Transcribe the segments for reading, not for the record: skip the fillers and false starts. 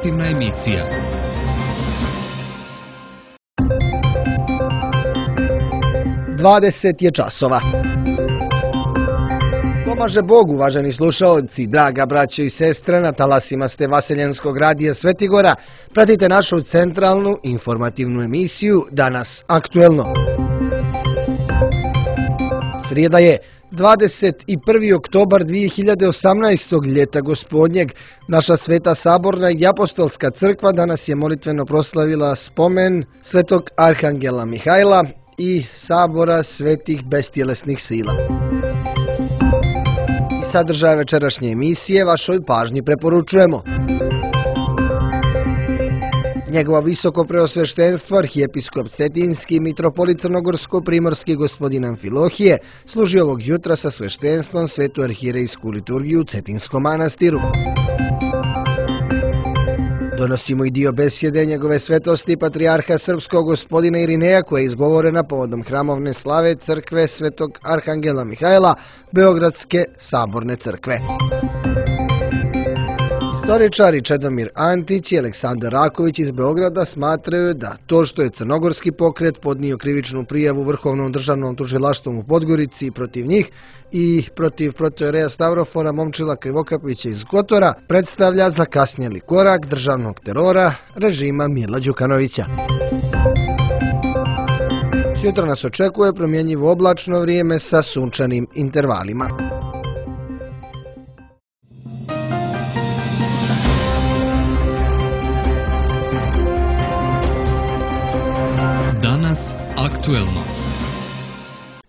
informativna emisija. Dvadeset je časova. Pomaže Bog, uvaženi slušaoci, draga braćo i sestre, na talasima ste Vaseljenskog radija Svetigora. Pratite našu centralnu informativnu emisiju Danas aktuelno. Srijeda je 21. oktobar 2018. ljeta gospodnjeg. Naša Sveta Saborna i Apostolska crkva danas je molitveno proslavila spomen Svetog Arhangela Mihajla i Sabora svetih bestjelesnih sila. I sadržaj večerašnje emisije vašoj pažnji preporučujemo. Njegovo visoko preosveštenstvo, arhijepiskop Cetinski, mitropolit Crnogorsko-primorski gospodin Amfilohije, služi ovog jutra sa sveštenstvom svetu arhijerejsku liturgiju u Cetinskom manastiru. Donosimo i dio besjede njegove svetosti patrijarha srpskog gospodina Irineja, koja je izgovorena povodom hramovne slave crkve Svetog Arhangela Mihajla Beogradske saborne crkve. Istoričari Čedomir Antić i Aleksandar Raković iz Beograda smatraju da to što je crnogorski pokret podnio krivičnu prijavu Vrhovnom državnom tužilaštvom u Podgorici protiv njih i protiv protojereja Stavrofona Momčila Krivokapića iz Kotora predstavlja zakasnjeli korak državnog terora režima Mila Đukanovića. Sutra nas očekuje promjenjivo oblačno vrijeme sa sunčanim intervalima. Danas aktuelno.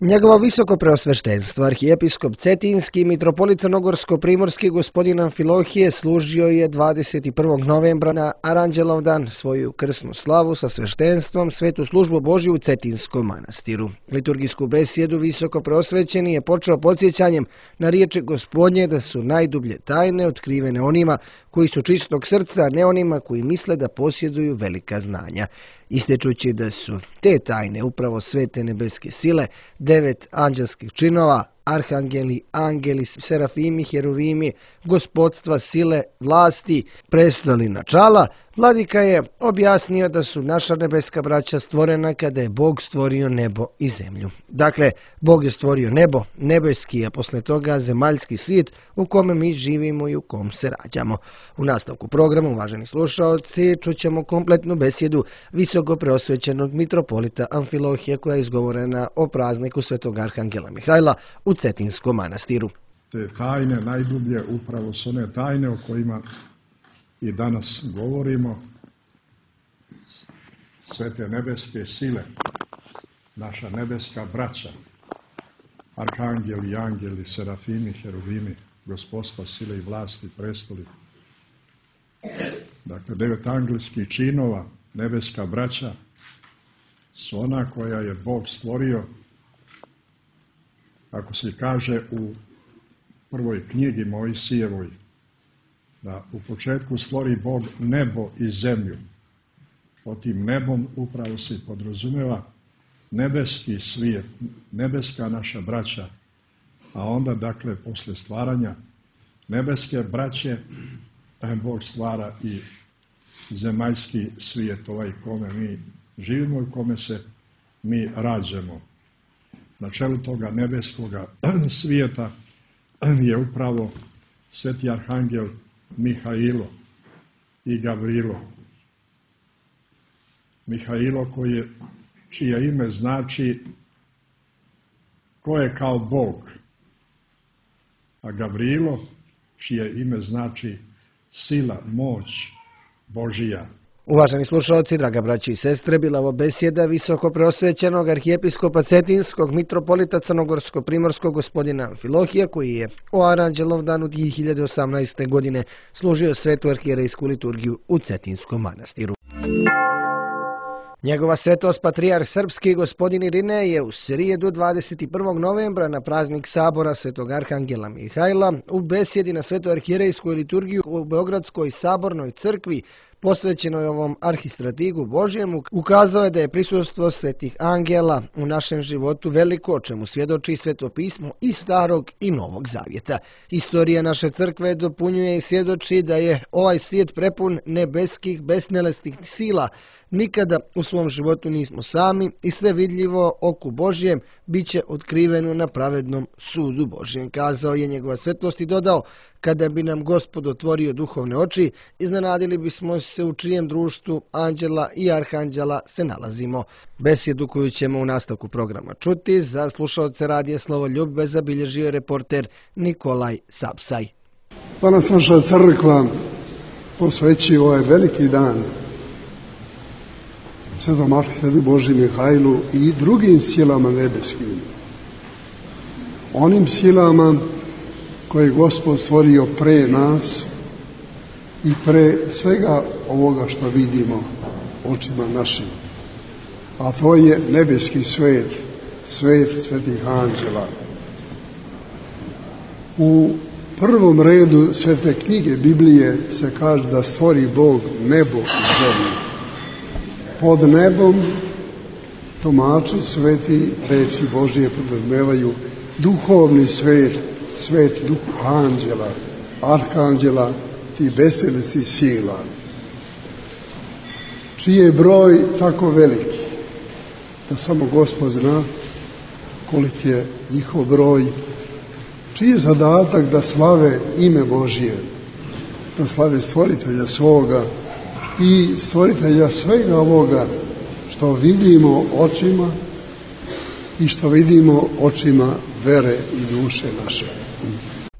Njegovo visoko preosveštenstvo, arhijepiskop Cetinski, mitropolit Crnogorsko-primorski gospodin Amfilohije služio je 21. novembra na Aranđelovdan svoju krsnu slavu sa sveštenstvom svetu službu Božju u Cetinskom manastiru. Liturgijsku besjedu visoko preosvećeni je počeo podsjećanjem na riječi Gospodnje da su najdublje tajne otkrivene onima koji su čistog srca, a ne onima koji misle da posjeduju velika znanja. Ističući da su te tajne upravo svete nebeske sile, 9 anđelskih činova, arhangeli, angeli, serafimi, heruvimi, gospodstva, sile, vlasti, prestoli načala, vladika je objasnio da su naša nebeska braća stvorena kada je Bog stvorio nebo i zemlju. Dakle, Bog je stvorio nebo, nebeski, a posle toga zemaljski svijet u kome mi živimo i u kom se rađamo. U nastavku programa, uvaženi slušaoci, čućemo kompletnu besjedu visoko preosvećenog mitropolita Amfilohije koja je izgovorena o prazniku Svetog Arhangela Mihajla u Cetinskom manastiru. Te tajne najdublje upravo su one tajne o kojima i danas govorimo. Svete nebeske sile, naša nebeska braća, arhangeli, angeli, serafimi, heruvimi, gospodstva, sile i vlasti, prestoli. Dakle, 9 angelskih činova, nebeska braća, su ona koja je Bog stvorio, ako se kaže u prvoj knjigi Mojsijevoj, da u početku stvori Bog nebo i zemlju. Pod tim nebom upravo se podrazumeva nebeski svijet, nebeska naša braća, a onda, dakle, posle stvaranja nebeske braće, Bog stvara i zemaljski svijet, ovaj kome mi živimo i kome se mi rađamo. Na čelu toga nebeskoga svijeta je upravo sveti arhangel Mihailo i Gavrilo. Mihailo čije ime znači ko je kao Bog, a Gavrilo čije ime znači sila, moć Božija. Uvaženi slušalci, draga braći i sestre, bila ovo besjeda visoko preosvećenog arhijepiskopa Cetinskog mitropolita Crnogorsko-primorskog gospodina Amfilohija, koji je o Aranđelovdanu 2018. godine služio svetu arhijerejsku liturgiju u Cetinskom manastiru. Njegova svetost patrijarh srpski gospodin Irinej je u srijedu 21. novembra na praznik Sabora Svetog Arhangela Mihajla u besjedi na svetu arhijerejsku liturgiju u Beogradskoj sabornoj crkvi posvećenoj ovom arhistratigu Božjemu, ukazao je da je prisustvo svetih angela u našem životu veliko, o čemu svjedoči Sveto pismo i Starog i Novog Zavjeta. Istorija naše crkve dopunjuje i svjedoči da je ovaj svijet prepun nebeskih, besnelesnih sila. Nikada u svom životu nismo sami i sve vidljivo oku Božjem bit će otkriveno na pravednom sudu Božjem, kazao je njegova svetlost i dodao: kada bi nam Gospod otvorio duhovne oči, iznenadili bismo se u čijem društvu anđela i arhanđela se nalazimo. Besjedu koju ćemo u nastavku programa čuti za slušaoce radija Slovo Ljubve zabilježio je reporter Nikolaj Sapsaj. Danas naša crkva posvećuje ovaj veliki dan Svetom arhistrategu Božji Mihajlu i drugim silama nebeskim. Onim silama koje je Gospod stvorio pre nas i pre svega ovoga što vidimo očima našim. A to je nebeski svet, svet svetih anđela. U prvom redu svete knjige Biblije se kaže da stvori Bog nebo i zemlju. Pod nebom tumači sveti reči Božije podrazumevaju duhovni svet, svet duhu anđela, arhanđela, ti besnelesnih sila, čiji je broj tako veliki da samo Gospod zna koliki je njihov broj, čiji je zadatak da slave ime Božije, da slave stvoritelja svoga i stvoritelja svega ovoga što vidimo očima i što vidimo očima vere i duše naše.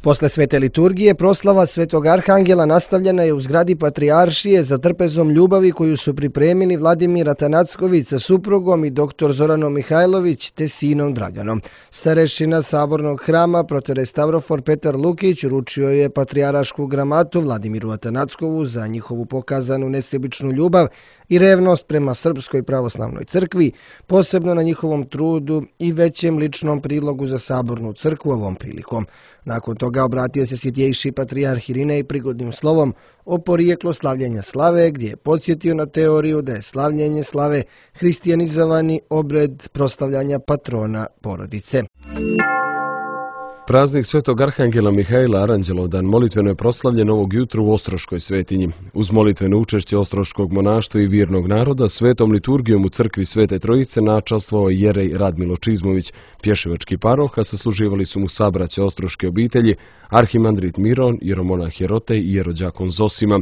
Posle svete liturgije proslava Svetog Arhangela nastavljena je u zgradi Patrijaršije za trpezom ljubavi koju su pripremili Vladimir Atanacković sa suprugom i dr. Zoranom Mihajlović te sinom Draganom. Starešina Sabornog hrama proterejstavrofor Petar Lukić uručio je patrijarašku gramatu Vladimiru Atanackovu za njihovu pokazanu nesebičnu ljubav i revnost prema Srpskoj pravoslavnoj crkvi, posebno na njihovom trudu i većem ličnom prilogu za Sabornu crkvu ovom prilikom. Nakon toga obratio se svjetjejši patrijarh Irinej prigodnim slovom o porijeklu slavljenja slave, gdje je podsjetio na teoriju da je slavljenje slave hristijanizovani obred proslavljanja patrona porodice. Praznik Svetog Arhangela Mihajla Aranđelovdan molitveno je proslavljen ovog jutra u Ostroškoj svetinji. Uz molitveno učešće Ostroškog monaštva i vjernog naroda, svetom liturgijom u crkvi Svete Trojice načastvovao je jerej Radmilo Čizmović, pješevački paroh, a sasluživali su mu sabraće ostroške obitelji, arhimandrit Miron, jeromonah Jerotej i jerođakon Zosima.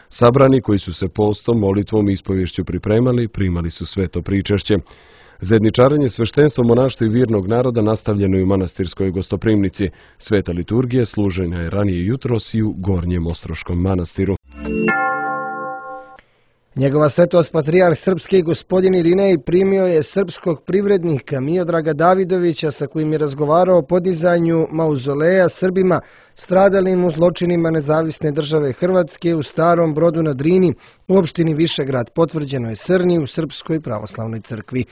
Sabrani koji su se postom, molitvom i ispovješću pripremali, primali su sveto pričešće. Zajedničarenje sveštenstva monaštva i vjernog naroda nastavljeno je u manastirskoj gostoprimnici. Sveta liturgija služena je ranije jutros i u Gornjem Ostroškom manastiru. Njegova svetost patrijarh srpski gospodin Irinej primio je srpskog privrednika Miodraga Davidovića sa kojim je razgovarao o podizanju mauzoleja Srbima stradalim u zločinima Nezavisne države Hrvatske u Starom Brodu na Drini u opštini Višegrad, potvrđeno je Srni u Srpskoj pravoslavnoj crkvi.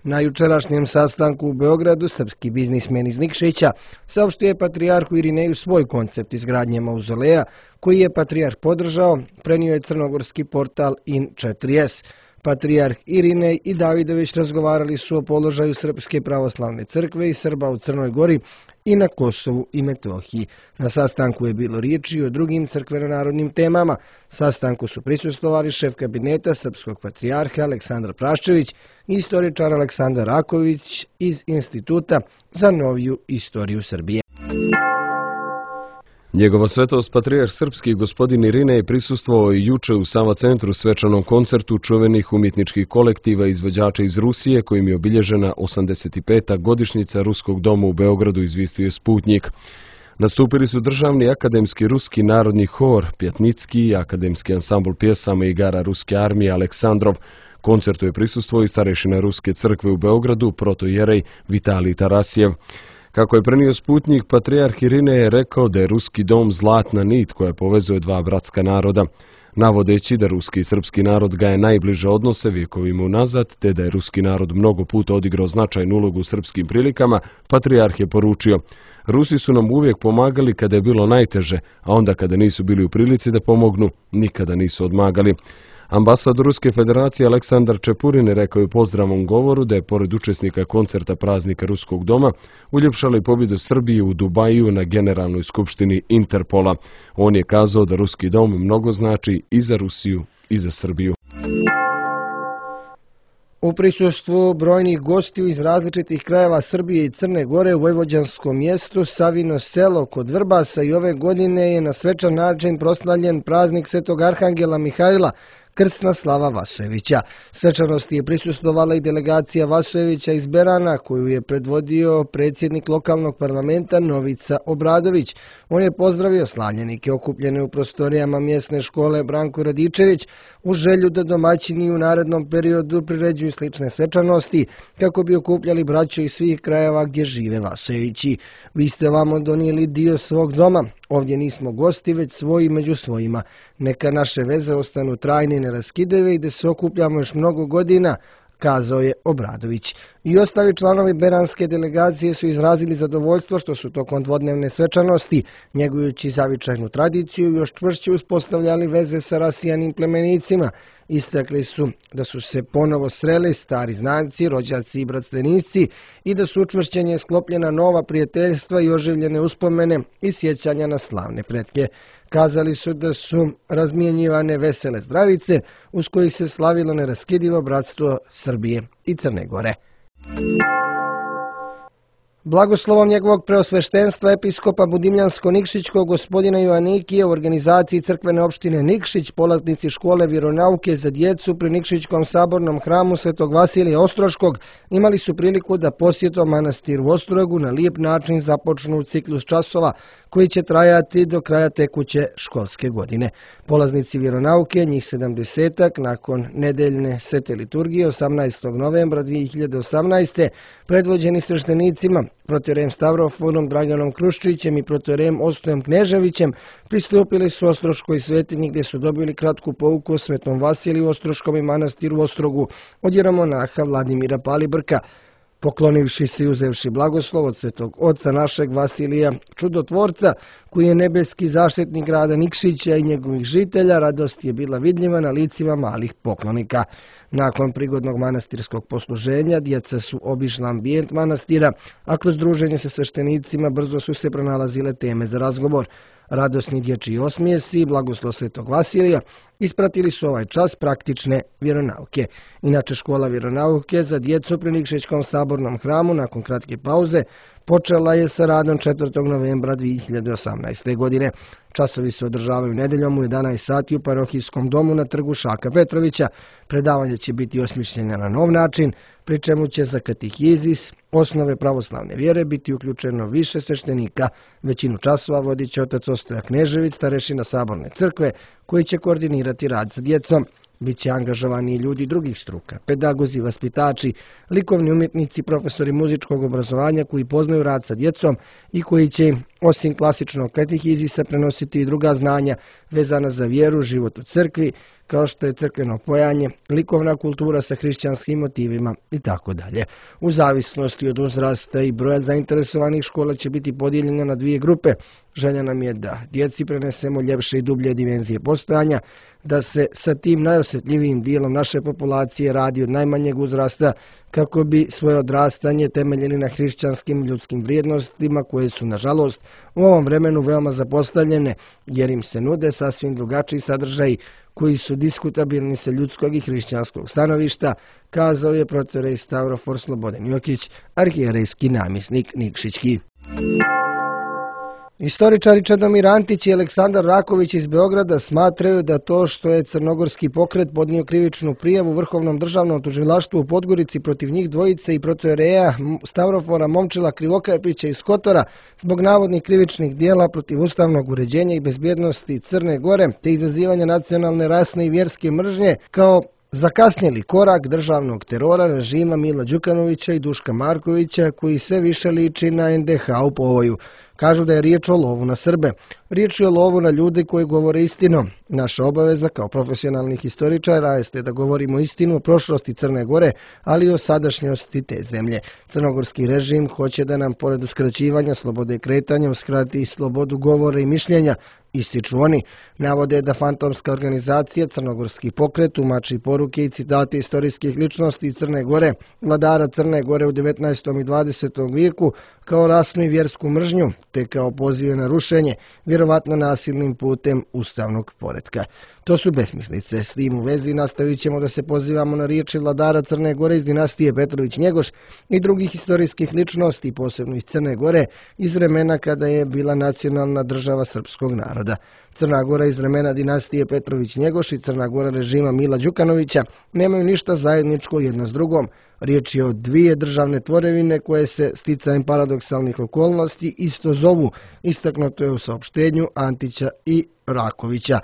Na jučerašnjem sastanku u Beogradu srpski biznismen iz Nikšića saopštio je patrijarhu Irineju svoj koncept izgradnje mauzoleja, koji je patrijarh podržao, prenio je crnogorski portal In4S. Patrijarh Irinej i Davidović razgovarali su o položaju Srpske pravoslavne crkve i Srba u Crnoj Gori i na Kosovu i Metohiji. Na sastanku je bilo riječi o drugim crkveno-narodnim temama. Sastanku su prisustvovali šef kabineta srpskog patrijarha Aleksandar Praščević i istoričar Aleksandar Raković iz Instituta za noviju istoriju Srbije. Njegova svetost patrijarh srpski gospodin Irinej prisustvovao i juče u Sava centru svečanom koncertu čuvenih umjetničkih kolektiva izvođača iz Rusije, kojim je obilježena 85. godišnjica Ruskog doma u Beogradu, izvijestio je Sputnjik. Nastupili su državni akademski ruski narodni hor Pjatnicki i akademski ansambl pjesama i igara Ruske armije Aleksandrov. Koncertu je prisustvovao i starešina Ruske crkve u Beogradu, protojerej Vitalij Tarasjev. Kako je prenio Sputnjik, patrijarh Irinej je rekao da je Ruski dom zlatna nit koja povezuje dva bratska naroda. Navodeći da ruski i srpski narod gaje najbliže odnose vjekovima unazad, te da je ruski narod mnogo puta odigrao značajnu ulogu u srpskim prilikama, patrijarh je poručio: Rusi su nam uvijek pomagali kada je bilo najteže, a onda kada nisu bili u prilici da pomognu, nikada nisu odmagali. Ambasador Ruske federacije Aleksandar Čepurin rekao je u pozdravnom govoru da je pored učesnika koncerta praznika Ruskog doma uljepšala i pobjedu Srbije u Dubaju na Generalnoj skupštini Interpola. On je kazao da Ruski dom mnogo znači i za Rusiju i za Srbiju. U prisustvu brojnih gostiju iz različitih krajeva Srbije i Crne Gore u vojvođanskom mjestu Savino selo kod Vrbasa i ove godine je na svečan način proslavljen praznik Svetog Arhangela Mihajla, krsna slava Vasojevića. Svečanosti je prisustvovala i delegacija Vasojevića iz Berana, koju je predvodio predsjednik lokalnog parlamenta Novica Obradović. On je pozdravio slavljenike okupljene u prostorijama mjesne škole Branko Radičević u želju da domaćini u narednom periodu priređuju slične svečanosti kako bi okupljali braću iz svih krajeva gdje žive Vasojevići. Vi ste vamo donijeli dio svog doma. Ovdje nismo gosti, već svoji među svojima. Neka naše veze ostanu trajne i neraskidive i da se okupljamo još mnogo godina, kazao je Obradović. I ostali članovi beranske delegacije su izrazili zadovoljstvo što su tokom dvodnevne svečanosti, njegujući zavičajnu tradiciju, još čvršće uspostavljali veze sa rasijanim plemenicima. Istakli su da su se ponovo sreli stari znanci, rođaci i bratstvenisci i da su učvršćenje sklopljena nova prijateljstva i oživljene uspomene i sjećanja na slavne pretke. Kazali su da su razmjenjivane vesele zdravice uz kojih se slavilo neraskidivo bratstvo Srbije i Crne Gore. Blagoslovom njegovog preosveštenstva episkopa Budimljansko-Nikšićkog gospodina Joanikije u organizaciji crkvene opštine Nikšić, polaznici škole vjeronauke za djecu pri Nikšićkom sabornom hramu Svetog Vasilija Ostroškog imali su priliku da posjetom manastiru Ostrogu na lijep način započnu ciklus časova koji će trajati do kraja tekuće školske godine. Polaznici vjeronauke, njih 70-ak, nakon nedeljne svete liturgije 18. novembra 2018. predvođeni sveštenicima protoijerejem Stavrofonom Draganom Kruščićem i protoijerejem Ostojem Kneževićem, pristupili su Ostroškoj svetinji gdje su dobili kratku pouku o Svetom Vasiliju Ostroškom i manastiru Ostrogu od jeromonaha Vladimira Palibrka. Poklonivši se i uzevši blagoslov od svetog oca našeg Vasilija Čudotvorca, koji je nebeski zaštitnik grada Nikšića i njegovih žitelja, radost je bila vidljiva na licima malih poklonika. Nakon prigodnog manastirskog posluženja, djeca su obišla ambijent manastira, a kroz druženje sa sveštenicima brzo su se pronalazile teme za razgovor. Radosni dječji osmijesi i blagoslov Svetog Vasilija ispratili su ovaj čas praktične vjeronauke. Inače, škola vjeronauke za djecu pri Nikšićkom sabornom hramu nakon kratke pauze počela je sa radom 4. novembra 2018. godine. Časovi se održavaju nedeljom u 11 sati u parohijskom domu na trgu Šaka Petrovića. Predavanje će biti osmišljeno na nov način, pri čemu će za katehizis, osnove pravoslavne vjere biti uključeno više sveštenika. Većinu časova vodit će otac Ostoja Knežević, starešina saborne crkve, koji će koordinirati rad sa djecom. Biće angažovani i ljudi drugih struka, pedagozi, vaspitači, likovni umjetnici, profesori muzičkog obrazovanja koji poznaju rad sa djecom i koji će osim klasičnog katehizisa prenositi i druga znanja vezana za vjeru, život u crkvi, kao što je crkveno pojanje, likovna kultura sa hrišćanskim motivima itd. U zavisnosti od uzrasta i broja zainteresovanih, škola će biti podijeljena na dvije grupe. Želja nam je da djeci prenesemo ljepše i dublje dimenzije postojanja, da se sa tim najosjetljivijim dijelom naše populacije radi od najmanjeg uzrasta kako bi svoje odrastanje temeljili na hrišćanskim ljudskim vrijednostima koje su, nažalost, u ovom vremenu veoma zapostavljene, jer im se nude sasvim drugačiji sadržaji koji su diskutabilni sa ljudskog i hrišćanskog stanovišta, kazao je protoijerej Stavrofor Slobodan Jokić, arhijerejski namjesnik Nikšićki. Istoričari Čedomir Antić i Aleksandar Raković iz Beograda smatraju da to što je crnogorski pokret podnio krivičnu prijavu Vrhovnom državnom tužilaštvu u Podgorici protiv njih dvojice i protoijereja Stavrofora Momčila Krivokapića iz Kotora zbog navodnih krivičnih dijela protiv ustavnog uređenja i bezbjednosti Crne Gore te izazivanja nacionalne, rasne i vjerske mržnje kao zakasnjeli korak državnog terora režima Mila Đukanovića i Duška Markovića, koji sve više liči na NDH u povoju. Kažu da je riječ o lovu na Srbe. Riječ je o lovu na ljude koji govore istinu. Naša obaveza kao profesionalnih historičara jeste da govorimo istinu o prošlosti Crne Gore, ali i o sadašnjosti te zemlje. Crnogorski režim hoće da nam pored uskraćivanja slobode kretanja uskrati i slobodu govora i mišljenja, ističu oni. Navode da fantomska organizacija Crnogorski pokret tumači poruke i citate istorijskih ličnosti iz Crne Gore, vladara Crne Gore u 19. i 20. vijeku kao rasnu i vjersku mržnju, te kao pozive na rušenje, vjerovatno nasilnim putem ustavnog poretka. To su besmislice. S tim u vezi nastavit ćemo da se pozivamo na riječi vladara Crne Gore iz dinastije Petrović-Njegoš i drugih istorijskih ličnosti, posebno iz Crne Gore, iz vremena kada je bila nacionalna država srpskog naroda. Crna Gora iz vremena dinastije Petrović-Njegoš i Crna Gora režima Mila Đukanovića nemaju ništa zajedničko jedna s drugom. Riječ je o dvije državne tvorevine koje se sticajem paradoksalnih okolnosti isto zovu, istaknuto je u saopštenju Antića i Rakovića.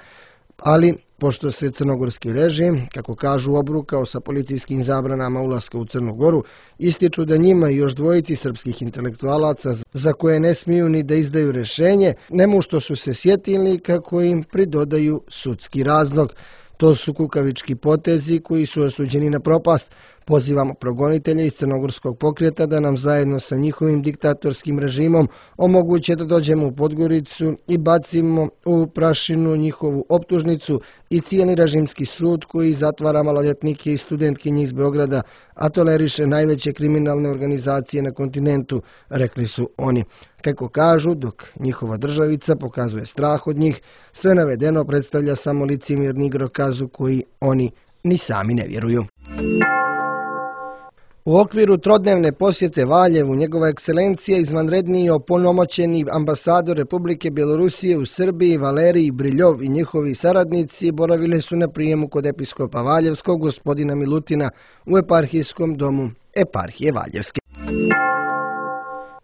Ali, pošto se crnogorski režim, kako kažu, obrukao sa policijskim zabranama ulaska u Crnu Goru, ističu da njima i još dvojici srpskih intelektualaca za koje ne smiju ni da izdaju rješenje, nemu što su se sjetili kako im pridodaju sudski razlog. To su kukavički potezi koji su osuđeni na propast. Pozivamo progonitelje iz Crnogorskog pokreta da nam zajedno sa njihovim diktatorskim režimom omoguće da dođemo u Podgoricu i bacimo u prašinu njihovu optužnicu i cijeli režimski sud koji zatvara maloljetnike i studentkinje iz Beograda, a toleriše najveće kriminalne organizacije na kontinentu, rekli su oni. Kako kažu, dok njihova državica pokazuje strah od njih, sve navedeno predstavlja samo licemjerni igrokazu koji oni ni sami ne vjeruju. U okviru trodnevne posjete Valjevu, njegova ekscelencija izvanredni i opunomoćeni ambasador Republike Bjelorusije u Srbiji Valerij Briljov i njihovi saradnici boravili su na prijemu kod episkopa Valjevskog gospodina Milutina u eparhijskom domu eparhije Valjevske.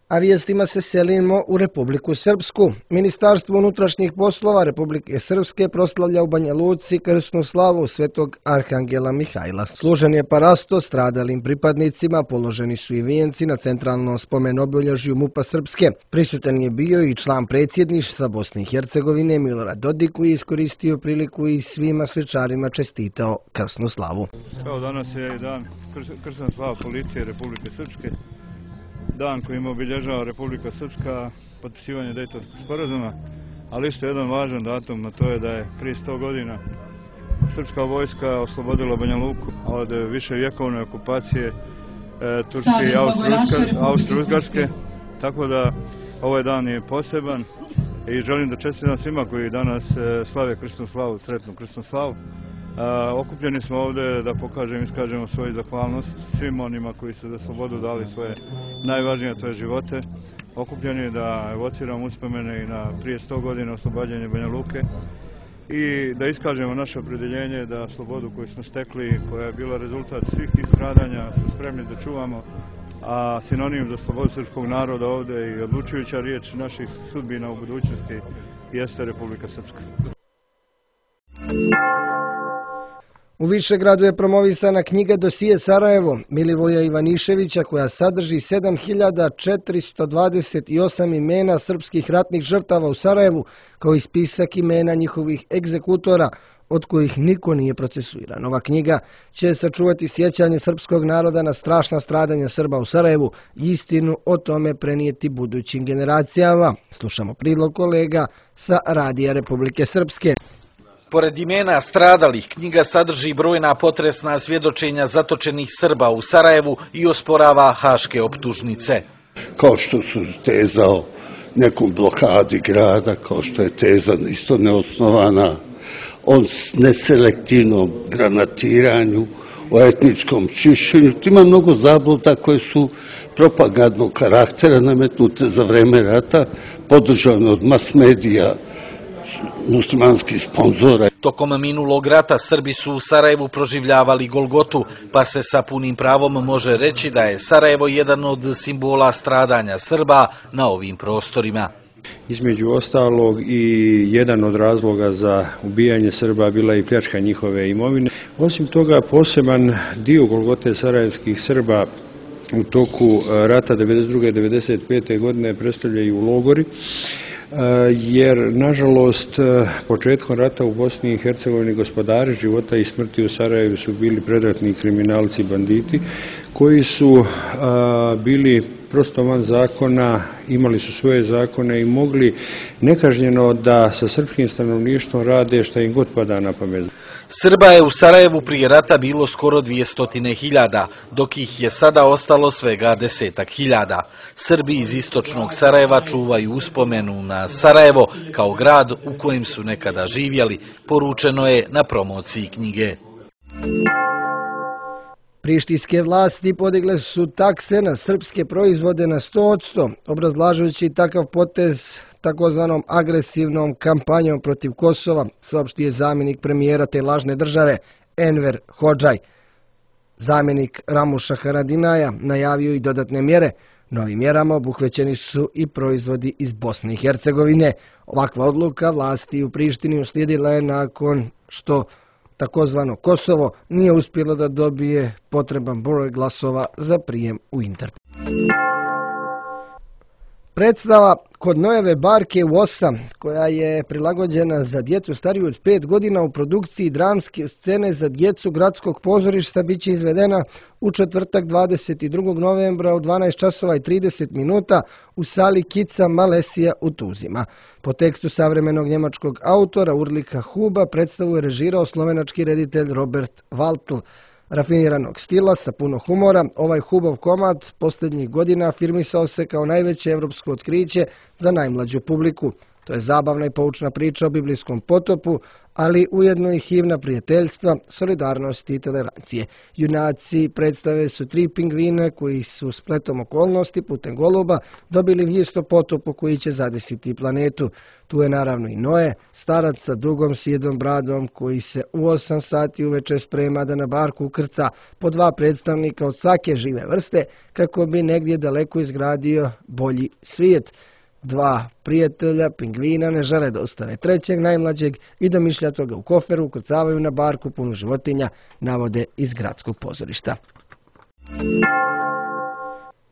A vijestima se selimo u Republiku Srpsku. Ministarstvo unutrašnjih poslova Republike Srpske proslavlja u Banja Luci krsnu slavu svetog Arhangela Mihajla. Služen je parasto stradalim pripadnicima, položeni su i vijenci na centralnom spomen-obilježju MUP-a Srpske. Prisutan je bio i član predsjedništva Bosne i Hercegovine Milorad Dodik koji je iskoristio priliku i svima svečarima čestitao krsnu slavu. Evo, danas je dan krsna slava policije Republike Srpske. Dan kojim obilježava Republika Srpska potpisivanje Dejtonskog sporazuma, ali isto jedan važan datum, a to je da je prije 100 godina srpska vojska oslobodila Banja Luku od viševjekovne okupacije Turske i Austro-Ugarske, tako da ovaj dan je poseban i želim da čestitam svima koji danas slave krsnu slavu, sretnu krsnu slavu. Okupljeni smo ovdje da pokažemo i iskažemo svoju zahvalnost svim onima koji su za slobodu dali svoje najvažnije, to je živote. Okupljeni da evociramo uspomene i na prije 100 godina oslobađanje Banja Luke i da iskažemo naše opredjeljenje da slobodu koju smo stekli, koja je bila rezultat svih tih stradanja, smo spremni da čuvamo, a sinonim za slobodu srpskog naroda ovdje i odlučujuća riječ naših sudbina u budućnosti jeste Republika Srpska. U Višegradu je promovisana knjiga Dosije Sarajevo Milivoja Ivaniševića koja sadrži 7428 imena srpskih ratnih žrtava u Sarajevu kao i spisak imena njihovih egzekutora od kojih niko nije procesuiran. Ova knjiga će sačuvati sjećanje srpskog naroda na strašna stradanja Srba u Sarajevu i istinu o tome prenijeti budućim generacijama. Slušamo prilog kolega sa Radija Republike Srpske. Pored imena stradalih, knjiga sadrži brojna potresna svjedočenja zatočenih Srba u Sarajevu i osporava haške optužnice. Kao što su teza o nekom blokadi grada, kao što je teza isto neosnovana, o neselektivnom granatiranju, o etničkom čišćenju. Ima mnogo zabluda koje su propagandnog karaktera nametnute za vreme rata, podržane od mas medija, muslimanskih sponzora. Tokom minulog rata Srbi su u Sarajevu proživljavali Golgotu, pa se sa punim pravom može reći da je Sarajevo jedan od simbola stradanja Srba na ovim prostorima. Između ostalog i jedan od razloga za ubijanje Srba bila i pljačka njihove imovine. Osim toga, poseban dio Golgote sarajevskih Srba u toku rata 1992. i 1995. godine predstavljaju logori, jer nažalost početkom rata u Bosni i Hercegovini gospodari života i smrti u Sarajevu su bili predratni kriminalci i banditi koji su bili prosto van zakona, imali su svoje zakone i mogli nekažnjeno da sa srpskim stanovništvom rade šta im god pada na pamet. Srba je u Sarajevu prije rata bilo skoro 200.000, dok ih je sada ostalo svega 10.000. Srbi iz istočnog Sarajeva čuvaju uspomenu na Sarajevo kao grad u kojem su nekada živjeli, poručeno je na promociji knjige. Prištinske vlasti podigle su takse na srpske proizvode na 100%, obrazlažujući takav potez takozvanom agresivnom kampanjom protiv Kosova, saopštio je zamjenik premijera te lažne države Enver Hodžaj. Zamjenik Ramuša Haradinaja najavio i dodatne mjere. Novim mjerama obuhvećeni su i proizvodi iz Bosne i Hercegovine. Ovakva odluka vlasti u Prištini uslijedila je nakon što takozvano Kosovo nije uspjelo da dobije potreban broj glasova za prijem u Interpol. Predstava Kod Nojeve barke u 8, koja je prilagođena za djecu stariju od 5 godina u produkciji dramske scene za djecu gradskog pozorišta, bit će izvedena u četvrtak 22. novembra u 12 časova i 30 minuta u sali Kica Malesija u Tuzima. Po tekstu savremenog njemačkog autora Urlika Huba predstavu je režirao slovenački reditelj Robert Waltl. Rafiniranog stila sa puno humora, ovaj Hubov komad posljednjih godina afirmisao se kao najveće evropsko otkriće za najmlađu publiku. To je zabavna i poučna priča o biblijskom potopu, ali ujedno i himna prijateljstva, solidarnosti i tolerancije. Junaci predstave su 3 pingvina koji su spletom okolnosti putem goluba dobili vijest o potopu koji će zadesiti planetu. Tu je naravno i Noe, starac sa dugom sjedom bradom koji se u 8 sati uveče sprema da na barku ukrca po 2 predstavnika od svake žive vrste kako bi negdje daleko izgradio bolji svijet. 2 prijatelja pingvina ne žele da ostave trećeg najmlađeg i domišljato ga u koferu ukrcavaju na barku punu životinja, navode iz gradskog pozorišta.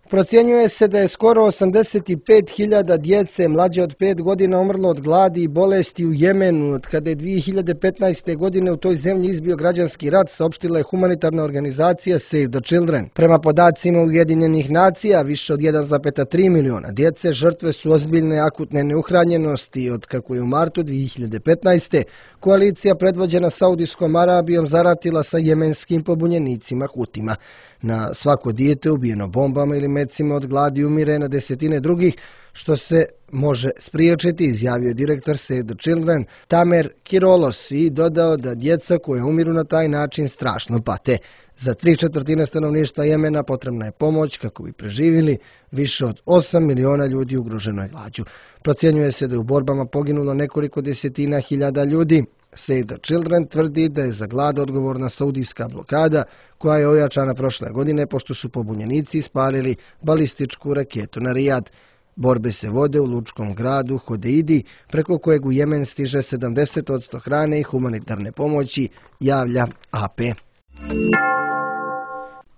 Procjenjuje se da je skoro 85.000 djece mlađe od 5 godina umrlo od gladi i bolesti u Jemenu, od kada je 2015. godine u toj zemlji izbio građanski rat, saopštila je humanitarna organizacija Save the Children. Prema podacima Ujedinjenih nacija, više od 1,3 miliona djece žrtve su ozbiljne akutne neuhranjenosti, od kako je u martu 2015. koalicija predvođena Saudijskom Arabijom zaratila sa jemenskim pobunjenicima Hutima. Na svako dijete ubijeno bombama ili mecima od gladi umire na desetine drugih, što se može spriječiti, izjavio je direktor Save the Children Tamer Kirolos i dodao da djeca koja umiru na taj način strašno pate. Za 3/4 stanovništva Jemena potrebna je pomoć kako bi preživjeli, više od 8 miliona ljudi ugroženo je glađu. Procjenjuje se da je u borbama poginulo nekoliko desetina hiljada ljudi. Save the Children tvrdi da je za glad odgovorna saudijska blokada koja je ojačana prošle godine pošto su pobunjenici ispalili balističku raketu na Rijad. Borbe se vode u lučkom gradu Hodeidi, preko kojeg u Jemen stiže 70% hrane i humanitarne pomoći, javlja AP.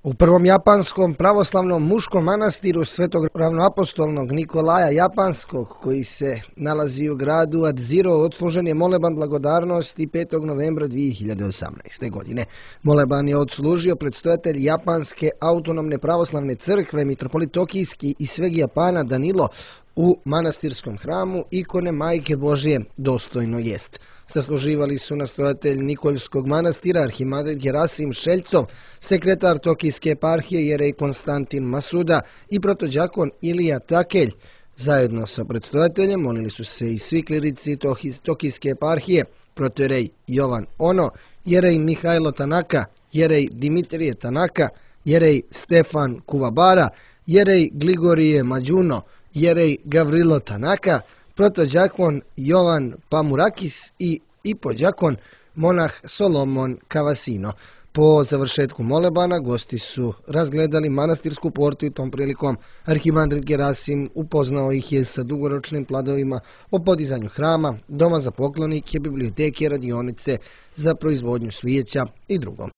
U prvom japanskom pravoslavnom muškom manastiru Svetog ravnoapostolnog Nikolaja Japanskog, koji se nalazi u gradu Adziro, odslužen je moleban blagodarnosti 5. novembra 2018. godine. Moleban je odslužio predstojatelj Japanske autonomne pravoslavne crkve, mitropolit Tokijski i sveg Japana Danilo u manastirskom hramu ikone Majke Božije, dostojno jest. Sasluživali su nastojatelj Nikoljskog manastira arhimandrit Gerasim Šeljcov, sekretar Tokijske eparhije jerej Konstantin Masuda i protođakon Ilija Takelj. Zajedno sa predstojateljem molili su se i svi klirici Tokijske eparhije, protojerej Jovan Ono, jerej Mihajlo Tanaka, jerej Dimitrije Tanaka, jerej Stefan Kuvabara, jerej Gligorije Mađuno, jerej Gavrilo Tanaka, protođakon Jovan Pamurakis i ipođakon monah Solomon Kavasino. Po završetku molebana gosti su razgledali manastirsku portu i tom prilikom arhimandrit Gerasim upoznao ih je sa dugoročnim planovima o podizanju hrama, doma za poklonike, biblioteke, radionice za proizvodnju svijeća i drugom.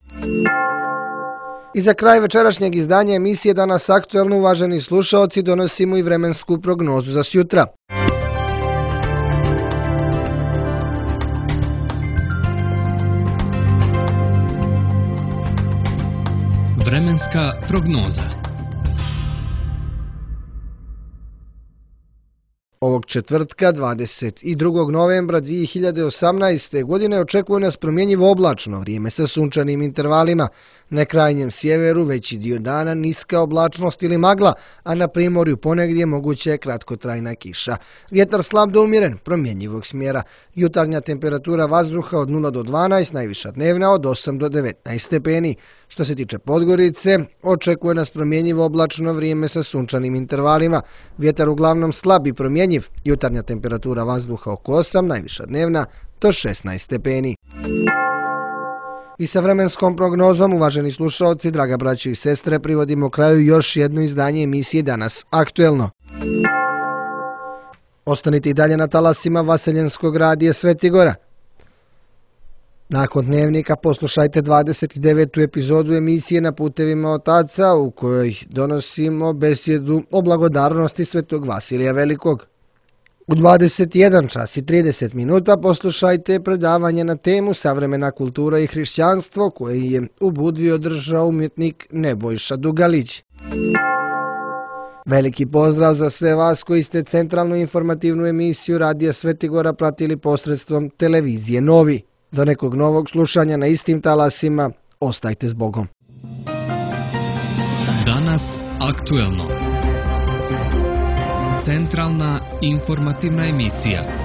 I za kraj večerašnjeg izdanja emisije Danas aktuelno, uvaženi slušaoci, donosimo i vremensku prognozu za sjutra. Vremenska prognoza. Ovog četvrtka, 22. novembra 2018. godine, očekuje nas promjenjivo oblačno vrijeme sa sunčanim intervalima. Na krajnjem sjeveru veći dio dana niska oblačnost ili magla, a na primorju ponegdje moguća je kratkotrajna kiša. Vjetar slab do umjeren, promjenjivog smjera. Jutarnja temperatura vazduha od 0 do 12, najviša dnevna od 8 do 19 stepeni. Što se tiče Podgorice, očekuje nas promjenjivo oblačno vrijeme sa sunčanim intervalima. Vjetar uglavnom slab i promjenjiv. Jutarnja temperatura vazduha oko 8, najviša dnevna do 16 stepeni. I sa vremenskom prognozom, uvaženi slušalci, draga braćo i sestre, privodimo kraju još jedno izdanje emisije Danas aktuelno. Ostanite i dalje na talasima Vaseljenskog radija Svetigora. Nakon dnevnika poslušajte 29. epizodu emisije Na putevima otaca, u kojoj donosimo besjedu o blagodarnosti Svetog Vasilija Velikog. U 21 čas i 30 minuta poslušajte predavanje na temu Savremena kultura i hrišćanstvo, koje je u Budvi održao umjetnik Nebojša Dugalić. Veliki pozdrav za sve vas koji ste centralnu informativnu emisiju Radija Svetigora pratili posredstvom televizije Novi. Do nekog novog slušanja na istim talasima, ostajte s Bogom. Danas aktuelno. Centralna informativna emisija.